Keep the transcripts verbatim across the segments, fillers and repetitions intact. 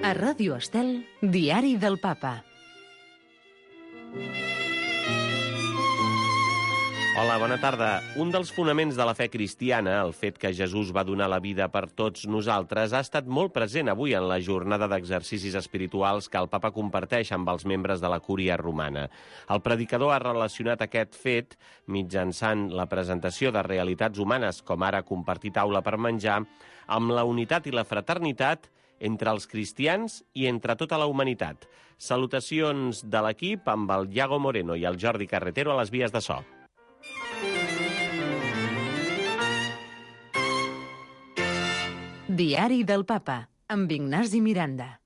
A Ràdio Estel, Diari del Papa. Hola, bona tarda. Un dels fonaments de la fe cristiana, el fet que Jesús va donar la vida per tots nosaltres, ha estat molt present avui en la jornada d'exercicis espirituals que el Papa comparteix amb els membres de la Cúria romana. El predicador ha relacionat aquest fet mitjançant la presentació de realitats humanes, com ara compartir taula per menjar, amb la unitat i la fraternitat entre els cristians i entre tota la humanitat. Salutacions de l'equip amb el Iago Moreno i el Jordi Carretero a les vies de so. Diari del Papa, amb Ignasi Miranda.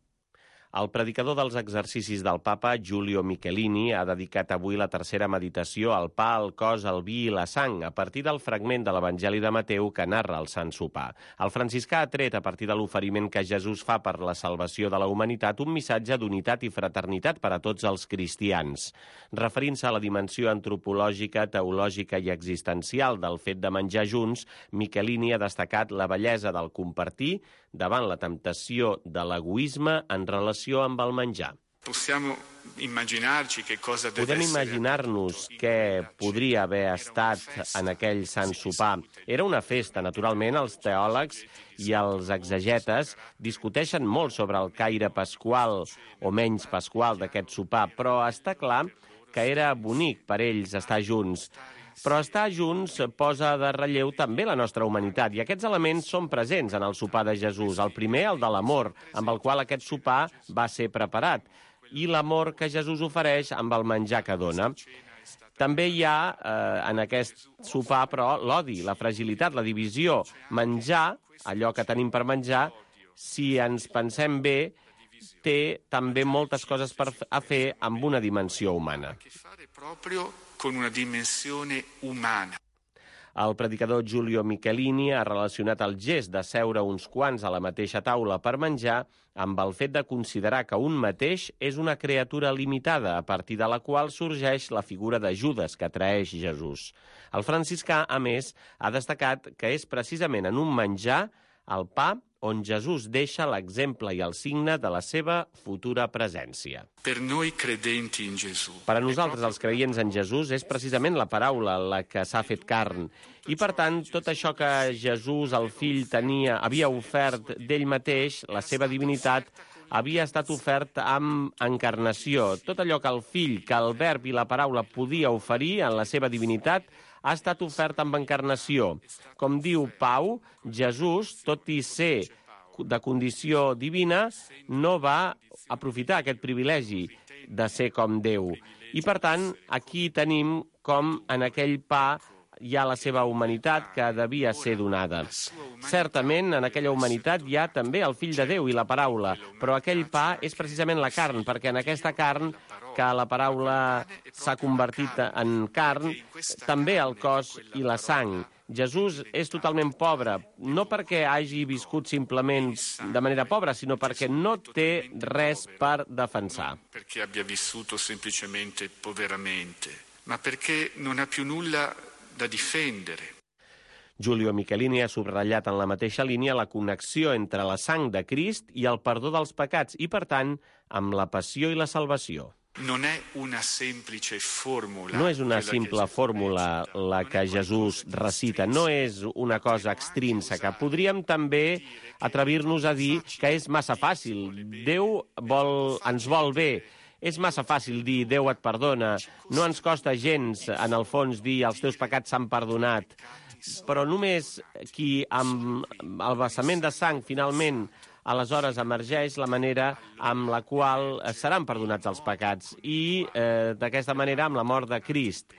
El predicador dels exercicis del Papa, Giulio Michelini, ha dedicat avui la tercera meditació al pa, al cos, al vi i la sang, a partir del fragment de l'Evangeli de Mateu que narra el Sant Sopar. El franciscà ha tret, a partir de l'oferiment que Jesús fa per la salvació de la humanitat, un missatge d'unitat i fraternitat per a tots els cristians. Referint-se a la dimensió antropològica, teològica i existencial del fet de menjar junts, Michelini ha destacat la bellesa del compartir davant la temptació de l'egoisme en relació amb el menjar. Podem imaginar-nos què podria haver estat en aquell Sant Sopar. Era una festa, naturalment, els teòlegs i els exegetes discuteixen molt sobre el caire pasqual o menys pasqual d'aquest sopar, però està clar que era bonic per ells estar junts. Però estar junts posa de relleu també la nostra humanitat, i aquests elements són presents en el sopar de Jesús. El primer, el de l'amor, amb el qual aquest sopar va ser preparat, i l'amor que Jesús ofereix amb el menjar que dona. També hi ha, eh, en aquest sopar, però, l'odi, la fragilitat, la divisió. Menjar, allò que tenim per menjar, si ens pensem bé, té també moltes coses per a fer amb una dimensió humana. Con una dimensione umana. El predicador Giulio Michelini ha relacionat el gest de seure uns quants a la mateixa taula per menjar amb el fet de considerar que un mateix és una criatura limitada, a partir de la qual sorgeix la figura de Judes que traeix Jesús. El franciscà, a més, ha destacat que és precisament en un menjar, el pa, on Jesús deixa l'exemple i el signe de la seva futura presència. Per noi credenti in Gesù. Per a nosaltres, els creients en Jesús, és precisament la paraula la que s'ha fet carn. I, per tant, tot això que Jesús, el fill, tenia, havia ofert d'ell mateix, la seva divinitat, havia estat ofert amb encarnació. Tot allò que el fill, que el verb i la paraula podia oferir en la seva divinitat, ha estat ofert amb encarnació. Com diu Pau, Jesús, tot i ser de condició divina, no va aprofitar aquest privilegi de ser com Déu. I, per tant, aquí tenim com en aquell pa hi ha la seva humanitat que devia ser donada. Certament, en aquella humanitat hi ha també el fill de Déu i la paraula, però aquell pa és precisament la carn, perquè en aquesta carn que la paraula s'ha convertit en carn, també el cos i la sang. Jesús és totalment pobre, no perquè hagi viscut simplement de manera pobra, sinó perquè no té res per defensar. Perché abbia vissuto semplicemente poveramente, ma perché non ha più nulla da difendere. Giulio Michelini ha subratllat en la mateixa línia la connexió entre la sang de Crist i el perdó dels pecats i, per tant, amb la passió i la salvació. Non è una semplice formula. No és una simple fórmula la que Jesús recita, no és una cosa extrínseca. Podríem també atrevir-nos a dir que és massa fàcil. Déu vol, ens vol bé. És massa fàcil dir Déu et perdona. No ens costa gens, en el fons, dir els teus pecats s'han perdonat. Però només qui amb el vessament de sang finalment aleshores emergeix la manera amb la qual seran perdonats els pecats i eh, d'aquesta manera amb la mort de Crist.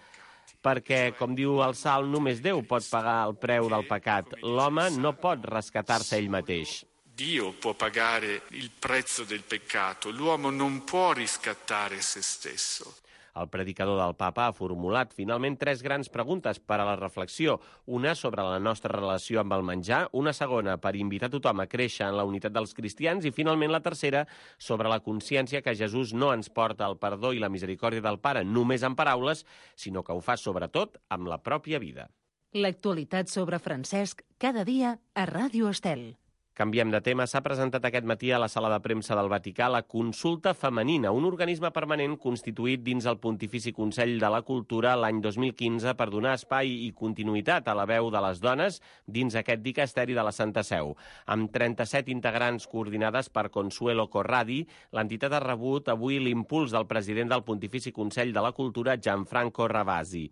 Perquè, com diu el Salm, només Déu pot pagar el preu del pecat. L'home no pot rescatar-se ell mateix. Dio può pagare il prezzo del peccato, l'uomo non può riscattare se stesso. El predicador del Papa ha formulat finalment tres grans preguntes per a la reflexió. Una sobre la nostra relació amb el menjar, una segona per invitar tothom a créixer en la unitat dels cristians i finalment la tercera sobre la consciència que Jesús no ens porta el perdó i la misericòrdia del Pare només en paraules, sinó que ho fa sobretot amb la pròpia vida. L'actualitat sobre Francesc cada dia a Ràdio Estel. Canviem de tema. S'ha presentat aquest matí a la sala de premsa del Vaticà la Consulta Femenina, un organisme permanent constituït dins el Pontifici Consell de la Cultura l'any dos mil quinze per donar espai i continuïtat a la veu de les dones dins aquest dicasteri de la Santa Seu. Amb trenta-set integrants coordinades per Consuelo Corradi, l'entitat ha rebut avui l'impuls del president del Pontifici Consell de la Cultura, Gianfranco Ravasi.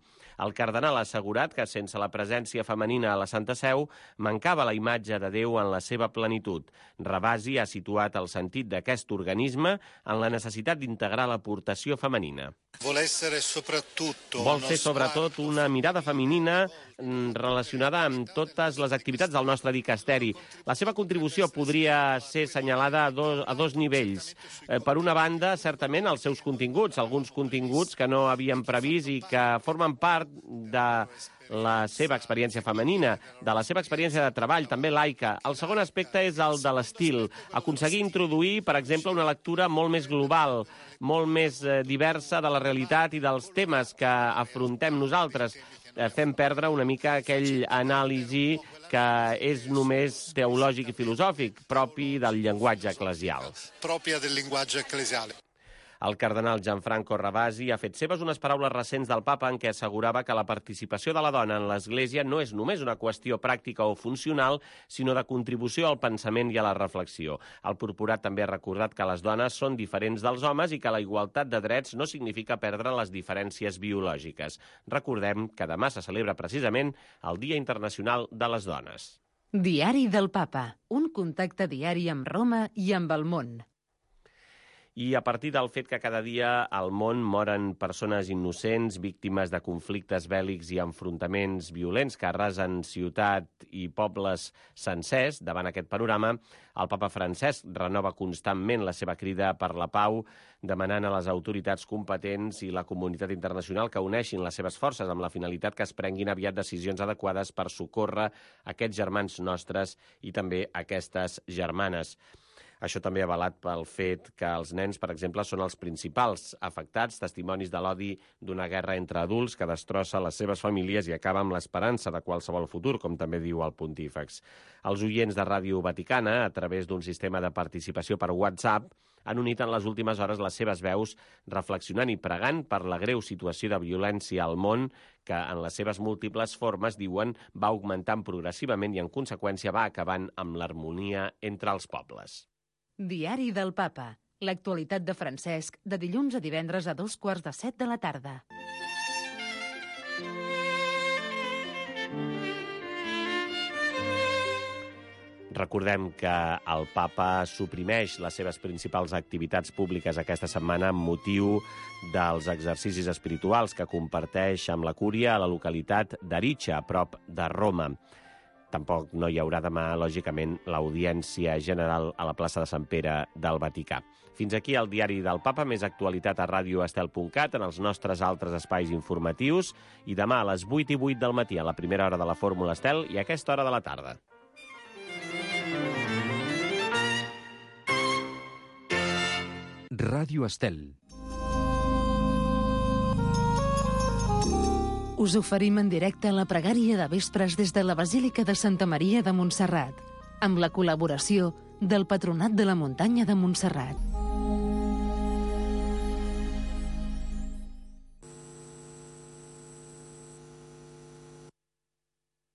El cardenal ha assegurat que sense la presència femenina a la Santa Seu mancava la imatge de Déu en la seva plenitud. Ravasi ha situat el sentit d'aquest organisme en la necessitat d'integrar l'aportació femenina. Vol ser sobretot una mirada femenina relacionada amb totes les activitats del nostre dicasteri. La seva contribució podria ser assenyalada a dos, a dos nivells. Eh, per una banda, certament, els seus continguts, alguns continguts que no havíem previst i que formen part de la seva experiència femenina, de la seva experiència de treball, també laica. El segon aspecte és el de l'estil. Aconseguir introduir, per exemple, una lectura molt més global, molt més eh, diversa de la realitat i dels temes que afrontem nosaltres. Eh, fem perdre una mica aquell anàlisi que és només teològic i filosòfic, propi del llenguatge eclesial. Pròpia del llenguatge eclesial. El cardenal Gianfranco Ravasi ha fet seves unes paraules recents del papa en què assegurava que la participació de la dona en l'Església no és només una qüestió pràctica o funcional, sinó de contribució al pensament i a la reflexió. El purpurat també ha recordat que les dones són diferents dels homes i que la igualtat de drets no significa perdre les diferències biològiques. Recordem que demà se celebra precisament el Dia Internacional de les Dones. Diari del Papa, un contacte diari amb Roma i amb el món. I a partir del fet que cada dia al món moren persones innocents, víctimes de conflictes bèl·lics i enfrontaments violents que arrasen ciutat i pobles sencers, davant aquest panorama, el papa Francesc renova constantment la seva crida per la pau, demanant a les autoritats competents i la comunitat internacional que uneixin les seves forces amb la finalitat que es prenguin aviat decisions adequades per socórrer aquests germans nostres i també aquestes germanes. Això també avalat pel fet que els nens, per exemple, són els principals afectats, testimonis de l'odi d'una guerra entre adults que destrossa les seves famílies i acaba amb l'esperança de qualsevol futur, com també diu el pontífex. Els oients de Ràdio Vaticana, a través d'un sistema de participació per WhatsApp, han unit en les últimes hores les seves veus reflexionant i pregant per la greu situació de violència al món que, en les seves múltiples formes, diuen, va augmentant progressivament i, en conseqüència, va acabant amb l'harmonia entre els pobles. Diari del Papa. L'actualitat de Francesc, de dilluns a divendres a dos quarts de set de la tarda. Recordem que el papa suprimeix les seves principals activitats públiques aquesta setmana amb motiu dels exercicis espirituals que comparteix amb la cúria a la localitat d'Aricia, a prop de Roma. Tampoc no hi haurà demà, lògicament, l'audiència general a la plaça de Sant Pere del Vaticà. Fins aquí el diari del Papa, més actualitat a radio estel punt cat, en els nostres altres espais informatius, i demà a les vuit i vuit del matí, a la primera hora de la Fórmula Estel, i a aquesta hora de la tarda. Ràdio Estel. Us oferim en directe la pregària de vespres des de la Basílica de Santa Maria de Montserrat, amb la col·laboració del Patronat de la Muntanya de Montserrat.